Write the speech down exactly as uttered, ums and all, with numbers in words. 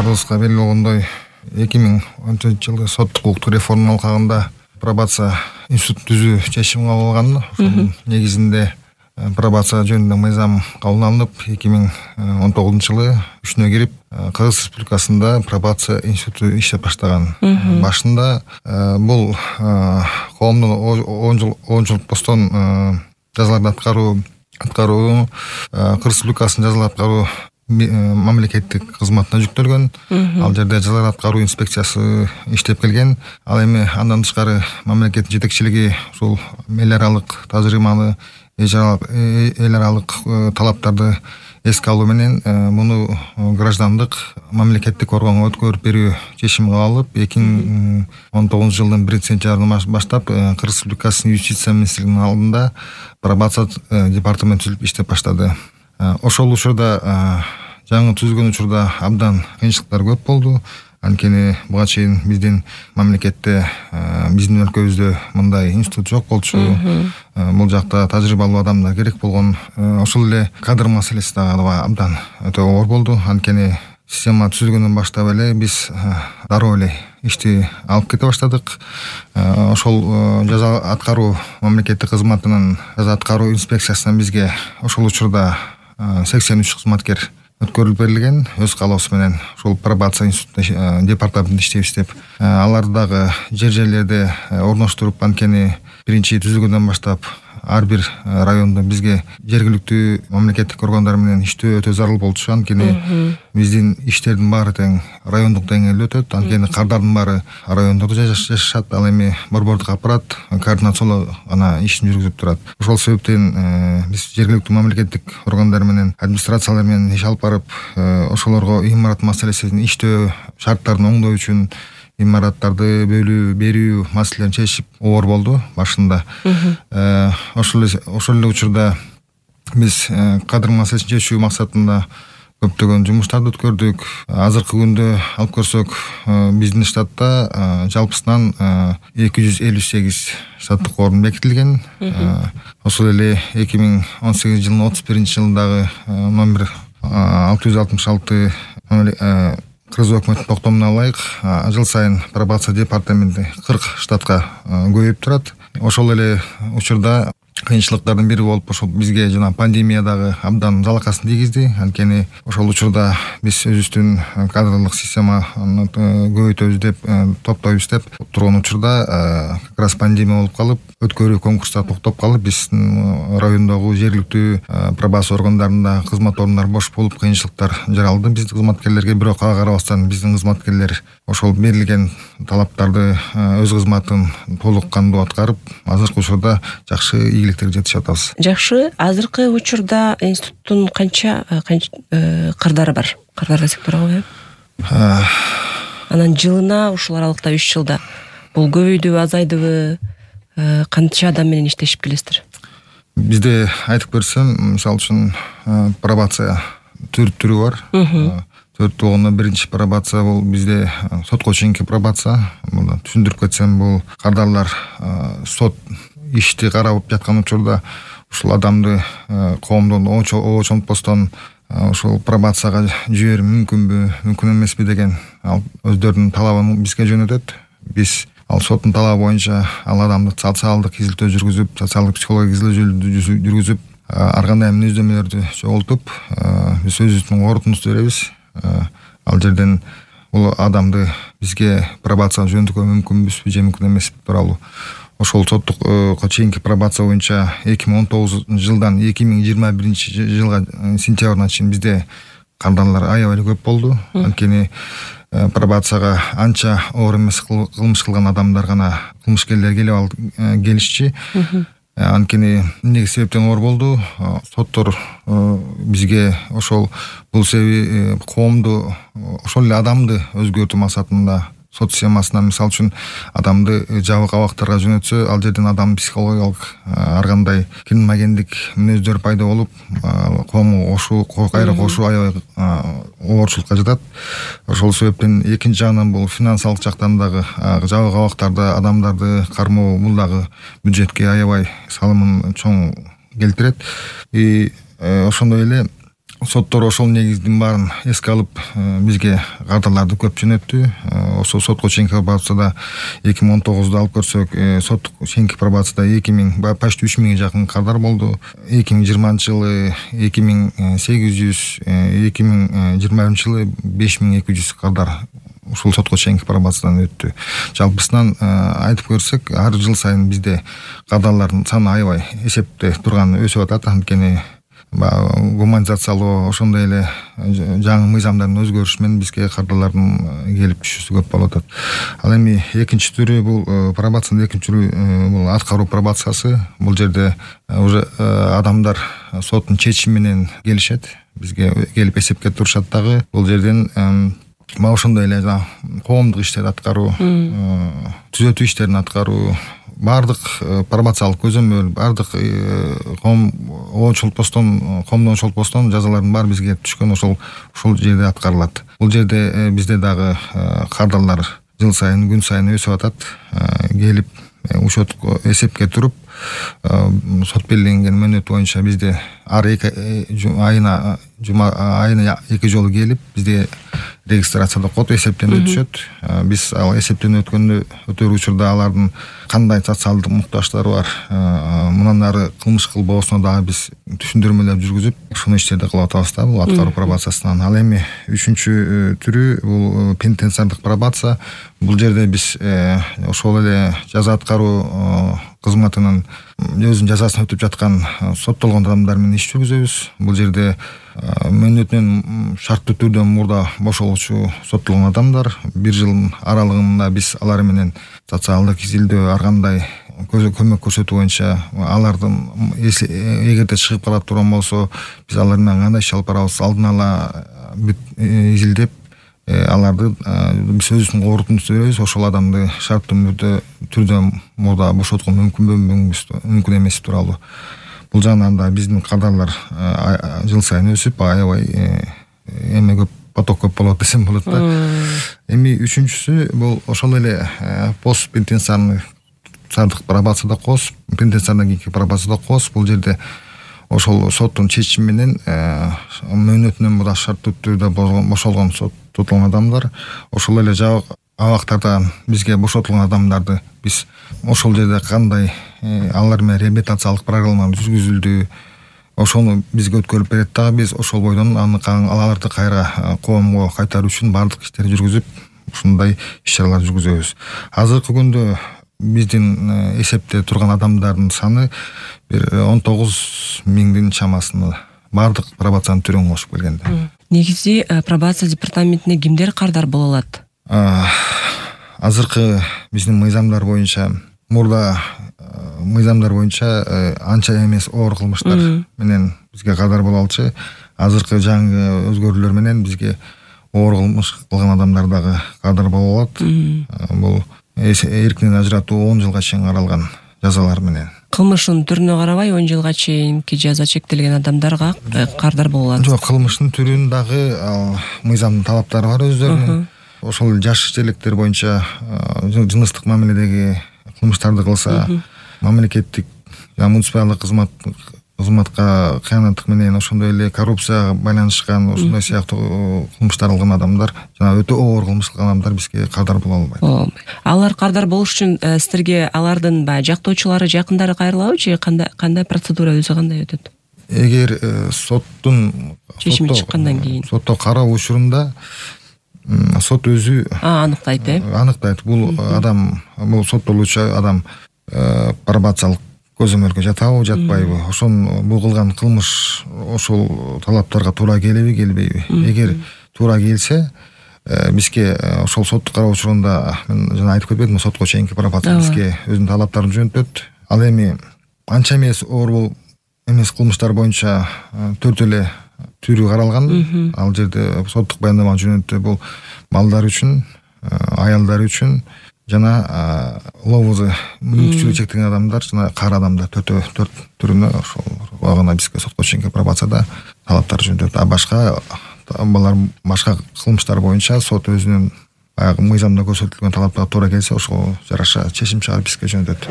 баарыбызга белгилүү болгондой эки миң он төртүнчү жылы соттук укуктук реформа алкагында пробация институтун түзүү чечими кабыл алынган. Ошонун негизинде пробация жөнүндө мыйзам кабыл алынып, эки миң он тогузунчу жылы күчүнө кирип, Кыргыз Республикасында пробация институту иштеп баштаган. Башында бул коомдук он жыл он жыл постон жазаларды аткаруу аткаруу Кыргыз Республикасынын жазаларды аткаруу мамлекеттик кызматына жүктөлгөн. Ал жерде жазаларды аткаруу инспекциясы иштеп келген. Ал эми андан тышкары мамлекеттин жетекчилиги ушул эл аралык тажрыйбаны, эл аралык талаптарды эске алуу менен муну граждандык мамлекеттик органга өткөрүп берүү чечими кабыл алып, эки миң он тогузунчу жылдын биринчи сентябрынан баштап Кыргыз Республикасынын юстиция министрлигинин алдында пробация департаменти түзүлүп иштеп баштады. Ошол учурда, жаңы түзүлгөн учурда абдан кыйынчылыктар көп болду. Анткени буга чейин биздин мамлекетте, биздин өлкөбүздө мындай институт жок болчу. Бул жакта тажрыйбалуу адамдар керек болгон. Ошол эле кадр маселеси дагы абдан өтө оор болду. Анткени система түзүлгөндөн баштап эле биз дароо эле ишти алып кете баштадык. Ошол жаза аткаруу мамлекеттик кызматынын жаза аткаруу инспекциясынан бизге ошол учурда сексен үч кызматкер өткөрүлүп берилген, өз каалоосу менен ушул пробация институтунда департаментте иштейбиз деп. Аларды дагы жер жерлерде орноштуруп, анткени биринчи түзүлгөндөн баштап ар бир райондо бизге жергиликтүү мамлекеттик органдар менен иштөө өтө зарыл болчу. Анткени биздин иштердин баары тең райондук деңгээлде өтөт. Анткени кардардын баары райондордо жашашат. Ал эми борбордук аппарат координациялоо ана ишин жүргүзүп турат. Ошол себептен биз жергиликтүү мамлекеттик органдар менен, администрациялар менен иш алып барып, ошолорго имарат маселесин, иштөө шарттарын оңдоо үчүн имараттарды бөлүү, берүү маселелерин чечип оор болду башында. Ошол ошол эле учурда биз кадр маселесин чечүү максатында көптөгөн жумуштарды өткөрдүк. Азыркы күндө алып көрсөк, биздин штатта жалпысынан эки жүз элүү сегиз штаттык орун бекитилген. Ошол эле эки миң он сегизинчи жылдын отуз биринчи жылдагы номер алты жүз алтымыш алты Кыргыз өкмөтүнүн токтомуна ылайык жыл сайын пробация департаменти кырк штатка көбөйүп турат. Ошол эле учурда кыйынчылыктардын бири болуп, ошол бизге жана пандемия дагы абдан залакасын тийгизди. Анткени ошол учурда биз өзүбүздүн кадрлык системаны көбөйтөбүз деп, топтойбуз деп турган учурда как раз пандемия болуп калып, өткөрүү конкурстар токтоп калып, биздин райондогу жергиликтүү пробация органдарында кызмат орундар бош болуп, кыйынчылыктар жаралды биздин кызматкерлерге. Бирок ага карабастан биздин кызматкерлер ошол берилген талаптарды, өз кызматын толук кандуу аткарып, азыркы учурда жакшы ийгиликтерге жетишип атабыз. Жакшы. Азыркы учурда институттун канча кырдары бар? Кырдар десек турабы? Анан жылына ушул аралыкта үч жылда бул көбөйдүбү, азайдыбы? Канча адам менен иштешип келесиздер? Бизде айтып берсем, мисалы үчүн пробация төрт түрү бар. Төрт болгондо биринчи пробация бул бизде сотко чейинки пробация. Муну түшүндүрүп кетсем, бул кардарлар сот ишти карап жаткан учурда ушул адамды коомдон очонтпостон ушул пробацияга жиберүү мүмкүнбү, мүмкүн эмеспи деген өздөрүнүн талабын бизге жөнөтөт. Биз ал соттун талабы боюнча ал адамды социалдык изилтөө жүргүзүп, социалдык психологиялык изилтөө жүргүзүп, ар кандай мүнөздөмөлөрдү чогултуп, биз өзүбүздүн корутундубузду беребиз. Ал жерден бул адамды бизге пробация жөнөтүүгө мүмкүнбүзбү же мүмкүн эмеспи тууралуу ошол соттукка чейинки пробация боюнча эки миң он тогузунчу жылдан эки миң жыйырма биринчи жылга сентябрына чейин бизде кардарлар аябай эле көп болду. Анткени пробацияга анча оор эмес кылмыш кылган адамдар гана, кылмышкерлер келип алып келишчи. Анткени эмне себептен оор болду? Соттор бизге ошол бул себеби коомду, ошол эле адамды өзгөртүү максатында сот системасына, мисалы үчүн адамды жабык абактарга жөнөтсө, ал жерден адам психологиялык ар кандай кирмагендик мүнөздөр пайда болуп, коомго кошуу, кайра кошуу аябай оорчулукка жатат. Ошол себептен экинчи жагынан бул финансылык жактан дагы жабык абактарды, адамдарды кармоо бул дагы бюджетке аябай салымын чоң келтирет. И ошондой эле соттор ошол негиздин баарын эске алып бизге кардарларды көп жөнөттү. Ошол сотко чейинки пробацияда эки миң он тогузда алып көрсөк, сотко чейинки пробацияда эки миң почти үч миңге жакын кардар болду. эки миң жыйырманчы жылы эки миң сегиз жүз, эки миң жыйырма биринчи жылы беш миң эки жүз кардар ушул сотко чейинки пробациядан өттү. Жалпысынан айтып көрсөк, ар жыл сайын бизде кардарлардын саны аябай эсепте турганы өсүп атат. Анткени гуманизациялоо, ошондой эле жаңы мыйзамдардын өзгөрүшү менен бизге кардарлардын келип түшүүсү көп болуп атат. Ал эми экинчи түрү бул пробациянын экинчи түрү бул аткаруу пробациясы. Бул жерде уже адамдар соттун чечими менен келишет, бизге келип эсепке турушат дагы. Бул жерден мына ошондой эле коомдук иштерди аткаруу, түзөтүү иштерин аткаруу, баардык пробациялык көзөмөл, баардык коом оочултпостон, коомдон оочултпостон жазалардын баары бизге түшкөн ошол ушул жерде аткарылат. Бул жерде бизде дагы кардарлар жыл сайын, күн сайын өсүп атат. Келип учетко эсепке туруп, сот белгиленген мөөнөт боюнча бизде ар эки айына жума айына эки жолу келип бизде регистрацияда код эсептен өтүшөт. Биз ал эсептен өткөндө өтөр учурда алардын кандай социалдык муктаждары бар, мындан ары кылмыш кылбоосуна дагы биз түшүндүрмөлөр жүргүзүп, ушул иштерди кылып атабыз да, бул аткаруу пробациясынан. Ал эми үчүнчү түрү бул пенитенциардык пробация. Бул жерде биз ошол эле жаза аткаруу кызматынын өзүнүн жазасын өтүп жаткан соттолгон адамдар менен иш жүргүзөбүз. Бул жерде мөөнөтүнөн шарттуу түрдө мурда бошолуучу соттолгон адамдар бир жыл аралыгында биз алар менен социалдык изилдөө, ар кандай көмөк көрсөтүү боюнча алардын эгерде чыгып кала турган болсо, биз алар менен кандай иш алып барабыз, алдын ала изилдеп, аларды биз өзүбүздүн корутундубузду беребиз. Ошол адамды шарттуу түрдө мурда бошоткон мүмкүнбү, мүмкүн эмес тууралуу. Бул жагынан да биздин кардарлар жыл сайын өсүп, аябай эме көп, поток көп болот десем болот да. Эми үчүнчүсү бул ошол эле пост пенитенциардык пробацияда кос, пенитенциардан кийинки пробацияда кос. Бул жерде ошол соттун чечими менен мөөнөтүнөн мурда шарттуу түрдө бошолгон соттолгон адамдар, ошол эле жабык абактардан бизге бошотулган адамдарды биз ошол жерде кандай алар менен реабилитациялык программалар жүргүзүлдү, ошону бизге өткөрүп берет дагы. Биз ошол бойдон аны аларды кайра коомго кайтаруу үчүн баардык иштерди жүргүзүп, ушундай иш-чаралар жүргүзөбүз. Азыркы күндө биздин эсепте турган адамдардын саны бир он тогуз миңдин чамасында, баардык пробациянын түрүн кошуп келгенде. Негизи пробация департаментине кимдер кардар боло алат? Азыркы биздин мыйзамдар боюнча, мурда мыйзамдар боюнча анча эмес оор кылмыштар менен бизге кардар боло алчу. Азыркы жаңы өзгөрүүлөр менен бизге оор кылмыш кылган адамдар дагы кардар боло алат. Бул эркинен ажыратуу он жылга чейин каралган жазалар менен. Кылмыштын түрүнө карабай он жылга чейинки жаза чектелген адамдарга кардар боло алат? Жок, кылмыштын түрүнүн дагы мыйзамдын талаптары бар өздөрүнүн. Ошол жаш желектер боюнча жыныстык мамиледеги кылмыштарды кылса, мамлекеттик муниципалдык кызмат кызматка кыянаттык менен, ошондой эле коррупцияга байланышкан, ошондой сыяктуу кылмыштар кылган адамдар, жана өтө оор кылмыш кылган адамдар бизге кардар боло албайт. Алар кардар болуш үчүн сиздерге алардын баягы жактоочулары, жакындары кайрылабы же кандай кандай процедура өзү кандай өтөт? Эгер соттун чечими чыккандан кийин, сотто кароо учурунда сот өзү аныктайт, э? Аныктайт. Бул адам, бул соттолуучу адам пробациялык көзөмөлгө жатабы, жатпайбы? Ошону бул кылган кылмыш ошол талаптарга туура келеби, келбейби? Эгер туура келсе, бизге ошол сотту кароо учурунда, мен жана айтып кетпедимби, сотко чейинки пробация бизге өзүнүн талаптарын жөнөтөт. Ал эми анча эмес оор бул эмес кылмыштар боюнча төрт эле түрү каралган. Ал жерде соттук баяндама жөнөтүү бул балдар үчүн, аялдар үчүн жана ловузы мүмкүнчүлүгү чектелген адамдар жана кары адамдар төрт төрт түрүнө ошол гана бизге сотко чейинки пробацияда талаптар жөнөтөт. А башка балар башка кылмыштар боюнча сот өзүнүн баягы мыйзамда көрсөтүлгөн талаптарга туура келсе, ошого жараша чечим чыгарып бизге жөнөтөт.